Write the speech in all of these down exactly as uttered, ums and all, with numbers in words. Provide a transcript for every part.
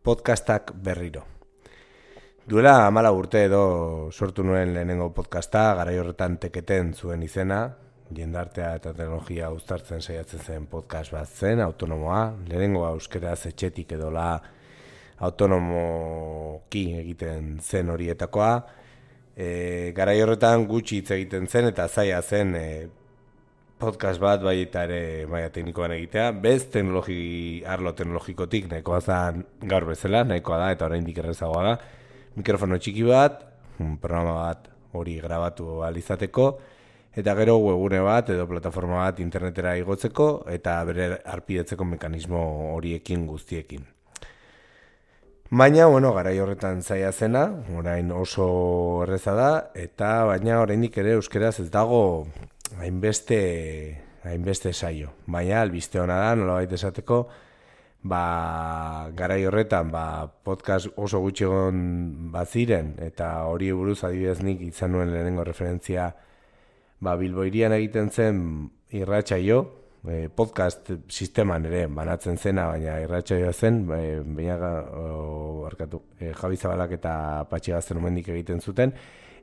podcastak berriro. Duela hamala urte edo sortu nuen lehenengo podcasta, garai horretan teketen zuen izena, jendartea eta teknologia uztartzen saiatzen zen podcast bat zen, autonomoa, lehenengoa euskeraz etxetik edola autonomoki egiten zen horietakoa, e, garai horretan gutxi hitz egiten zen eta zaila zen e, podcast bat bai eta ere maila teknikoan egitea, bez teknologi, arlo teknologikotik nahikoa zen gaur bezala, nahikoa da eta oraindik errezagoa da, mikrofono txiki bat, un programa bat hori grabatu ahal izateko, eta gero webgune bat edo plataforma bat internetera igotzeko eta bere harpidetzeko mekanismo horiekin guztiekin. Baina, bueno, garai horretan zaila zena, orain oso erreza da, eta baina oraindik ere euskeraz ez dago hainbeste hainbeste saio. Baina albiste ona da, nolabait esateko, ba, garai horretan ba, podcast oso gutxi egon baziren, eta hori buruz adibidez nik izan nuen lehenengo referentzia ba, Bilbo hirian egiten zen irratsaio, e, podcast sisteman ere banatzen zena, baina irratsaioa zen, e, baina barkatu, e, Javi Zabalak eta Patxi Gaztelumendik egiten zuten,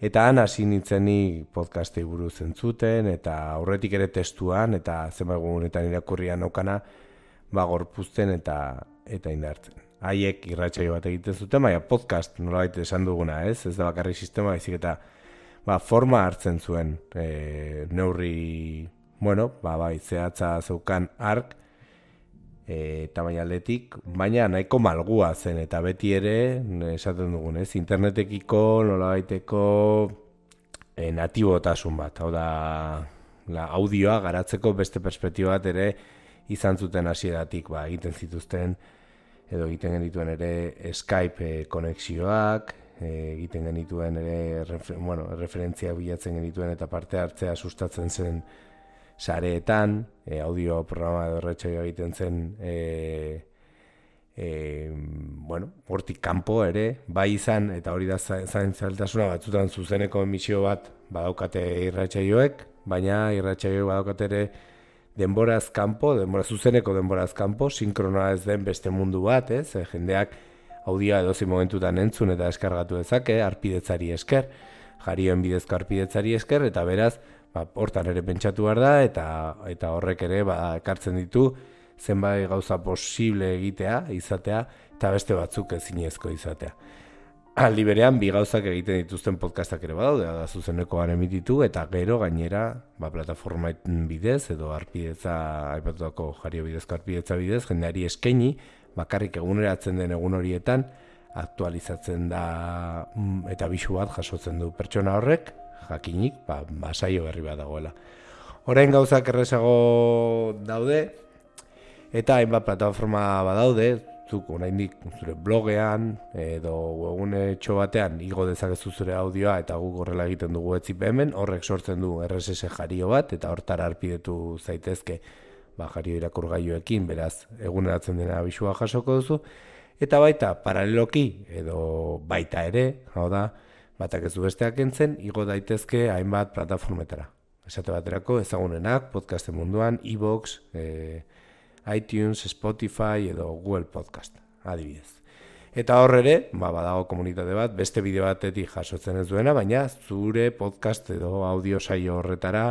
eta han hasi nintzenik podcastei buruz entzuten, eta aurretik ere testuan, eta zenbait egunetan irakurrian naukana, ba, gorpuzten eta eta indartzen. Haiek irratsaio bat egiten zuten, baina podcast nolabait esan duguna, ez? Ez da bakarrik sistema, baizik eta ba, forma hartzen zuen e, neurri, bueno, ba, bai, zehatza zeukan ark, e, tamaina aldetik, baina nahiko malgua zen, eta beti ere, esaten dugun, ez? Internetekiko nolabaiteko e, natibotasun bat, hau da, la audioa garatzeko beste perspektiba bat ere izan zuten hasieratik, ba, egiten zituzten, edo egiten genituen ere Skype e, konexioak, egiten genituen ere refer, bueno, referentzia bilatzen genituen eta parte hartzea sustatzen zen sareetan, e, audio programa edo erratsaioa egiten zen e, e, bueno, hortik kanpo ere, bai izan, eta hori da zain zailtasuna batzutan zuzeneko emisio bat badaukate irratsaioek, baina irratsaioek badaukate ere denboraz kanpo, denbora zuzeneko denboraz kanpo, sinkronoa ez den beste mundu bat, ez? E, jendeak audioa edozein momentutan entzun eta eskargatu dezake, harpidetzari esker, jarioen bidezko harpidetzari esker, eta beraz, ba, hortan ere pentsatu behar da, eta, eta horrek ere ba, ekartzen ditu zenbait gauza posible egitea, izatea, eta beste batzuk ezinezko izatea. Aldi berean, bi gauzak egiten dituzten podcastak ere badaude, da zuzenekoan emititu, eta gero gainera, ba, plataforma bidez, edo harpidetza, aipatutako jario bidezko harpidetza bidez, jendeari eskaini, bakarrik eguneratzen den egun horietan, aktualizatzen da eta bisu bat jasotzen du pertsona horrek, jakinik, ba, ba saio berri bat dagoela. Orain gauzak errezago daude, eta hainbat plataforma badaude, zuk oraindik zure blogean edo webgune txo batean igo dezakezu zure audioa eta guk horrela egiten dugu etzipe hemen, horrek sortzen du R S S jario bat, eta hortara harpidetu zaitezke ba, jario irakurgailuekin, beraz, eguneratzen dena abisua jasoko duzu, eta baita, paraleloki, edo baita ere, hau da, batak ez du besteak entzen, igo daitezke hainbat plataformetara. Esate baterako, ezagunenak, podcasten munduan, iVoox, e, iTunes, Spotify edo Google Podcast, adibidez. Eta hor ere, ba, badago komunitate bat, beste bideo batetik jasotzen ez duena, baina zure podcast edo audio saio horretara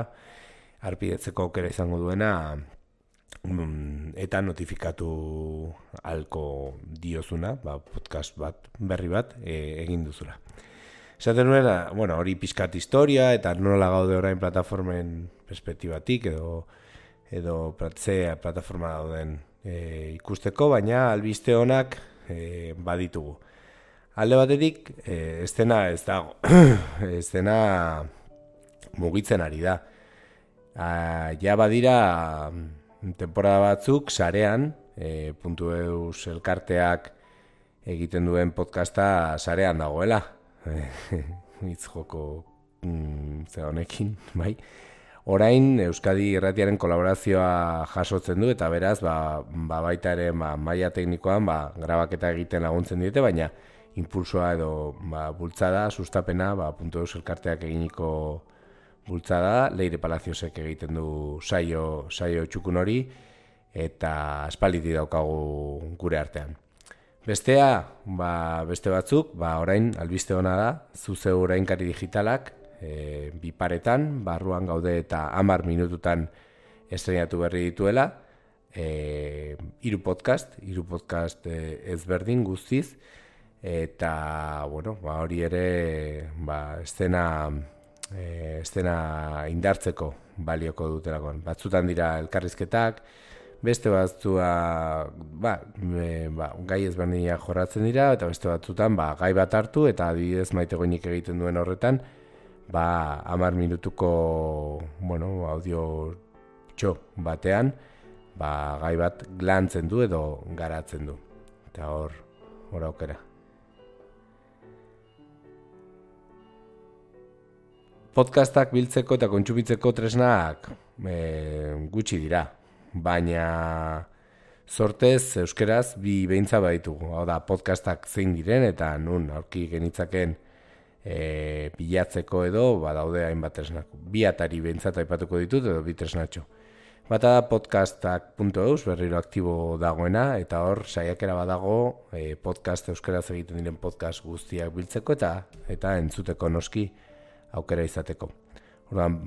harpidetzeko aukera izango duena, eta notifikatu halko diozuna, ba, podcast bat, berri bat, e, egin duzula. Esaten nuela, bueno, hori pixkat historia, eta nola gaude orain plataformen perspektibatik, edo, edo pratzea plataforma dauden e, ikusteko, baina albiste honak e, baditugu. Alde batetik, e, estena ez dago, estena mugitzen ari da. A, ja badira temporada batzuk sarean, e, puntu eus elkarteak egiten duen podcasta sarean dagoela. Hitz joko mm, ze honekin, bai. Orain Euskadi Irratiaren kolaborazioa jasotzen du, eta beraz, ba, ba baita ere ba, maila teknikoan ba, grabaketa egiten laguntzen diete, baina impulsoa edo ba, bultzada, sustapena, ba, puntu eus elkarteak eginiko bultzada, Leire Palaciosek egiten du saio, saio txukun hori, eta aspalditik daukagu gure artean. Bestea, ba, beste batzuk, ba, orain albiste ona da, zuzeu orainkari digitalak, e, bi paretan, barruan gaude eta hamar minututan estrenatu berri dituela, e, hiru podcast, hiru podcast e, ezberdin guztiz, eta, bueno, ba, hori ere, ba, estena, e, estena indartzeko balioko dutelakoan. Batzutan dira elkarrizketak, beste batzua ba, e, ba, gai ezberdinak jorratzen dira, eta beste batzutan ba, gai bat hartu, eta adibidez Maite Goinik egiten duen horretan, ba, hamar minutuko bueno, audio txo batean, ba, gai bat lantzen du edo garatzen du. Eta hor, hor aukera. Podcastak biltzeko eta kontsumitzeko tresnak e, gutxi dira. Baina sortez euskeraz bi behintza baditugu. Hau da, podcastak zein diren eta nun aurki genitzaken e, bilatzeko edo badaude hainbat tresnak. Bi atari behintzat aipatuko ditut edo bi tresnatxo. Bata da podcastak puntu eus, berriro aktibo dagoena, eta hor saiakera badago e, podcast euskeraz egiten diren podcast guztiak biltzeko eta eta entzuteko noski aukera izateko. Orduan,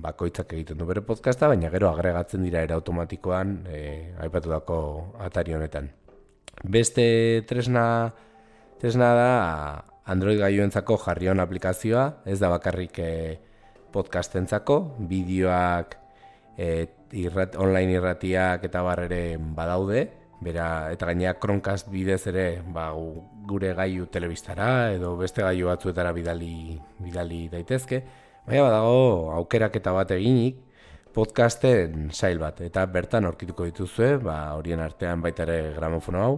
bakoitzak egiten du bere podcasta, baina gero agregatzen dira era automatikoan e, aipatutako atari honetan. Beste tresna, tresna da Android gailuentzako Jarrion aplikazioa, ez da bakarrik e, podcastentzako, bideoak, e, irrat, online irratiak eta barrere badaude, bera, eta gainera Chromecast bidez ere ba, gure gailu telebistara edo beste gailu batzuetara bidali, bidali daitezke. Baina badago aukeraketa bat eginik podcasten sail bat, eta bertan aurkituko dituzue, ba, horien artean baita ere gramofono hau,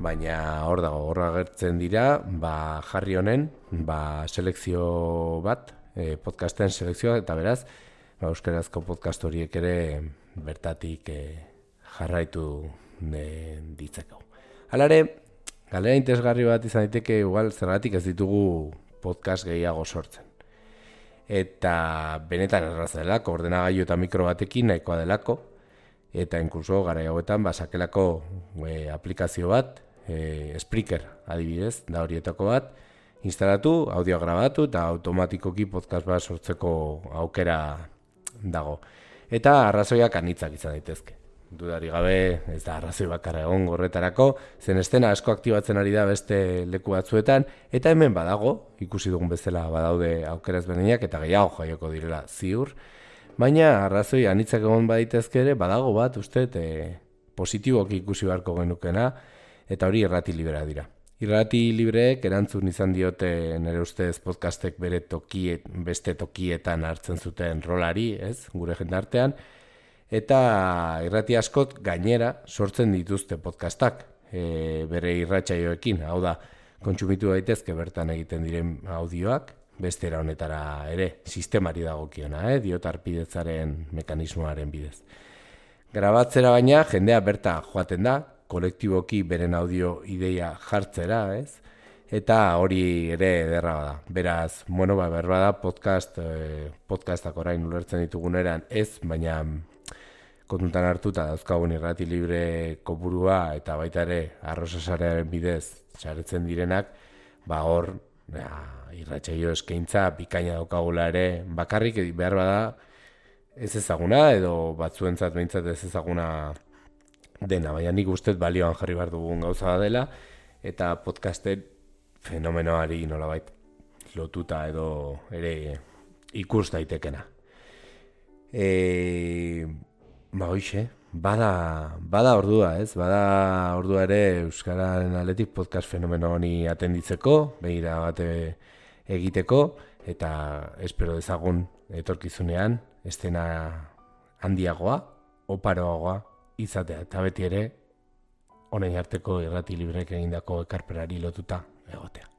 baina hor dago, hor agertzen dira, ba, Jarri honen, ba, selekzio bat, e, podcasten selekzioa, eta beraz, ba, euskarazko podcast horiek ere bertatik e, jarraitu e, ditzeko. Halare, galera interesgarri bat izan daiteke, igual zergatik ez ditugu podcast gehiago sortzen. Eta benetan erraza delako, ordenagailu eta mikro batekin nahikoa delako, eta inkluso gara hauetan basakelako e, aplikazio bat, e, Spreaker adibidez, da horietako bat, instalatu, audio grabatu eta automatikoki podcast bat sortzeko aukera dago. Eta arrazoiak anitzak izan daitezke. Dudari gabe, ez da arrazoi bakarra egon horretarako, zen estena asko aktibatzen ari da beste leku batzuetan, eta hemen badago, ikusi dugun bezala badaude aukeraz berdinak, eta gehiago jaioko direla ziur, baina arrazoi anitzak egon baditezke ere, badago bat, uste, e, positiboki ikusi beharko genukena, eta hori irrati librea dira. Irrati libreek erantzun izan diote nire ustez podcastek bere tokiet, beste tokietan hartzen zuten rolari, ez, gure jendartean, eta irrati askot gainera sortzen dituzte podcastak e, bere irratsaioekin, hau da, kontsumitu daitezke bertan egiten diren audioak, beste era honetara ere, sistemari dagokiona, eh, diotarpidetzaren mekanismoaren bidez. Grabatzera baina, jendea berta joaten da, kolektiboki beren audio ideia jartzera, ez? Eta hori ere ederra da. Beraz, bueno, ba, berba da podcast, eh, podcastak orain ulertzen dituguneran ez, baina kontutan hartuta dauzkagun irrati libre kopurua eta baita ere arrosasarearen bidez saretzen direnak, ba hor ja, irratsaio eskaintza bikaina daukagula ere, bakarrik behar bada ez ezaguna edo batzuentzat behintzat ez ezaguna dena, baina nik ustez balioan jarri behar dugun gauza dela, eta podcasten fenomenoari nolabait lotuta edo ere ikus daitekena. E, ba hoxe, bada, bada ordua, ez? Bada ordua ere Euskararen aldetik podcast fenomeno honi atenditzeko, begira bate egiteko, eta espero dezagun etorkizunean, estena handiagoa, oparoagoa izatea, eta beti ere, honen arteko irrati librek egindako ekarpenari lotuta egotea.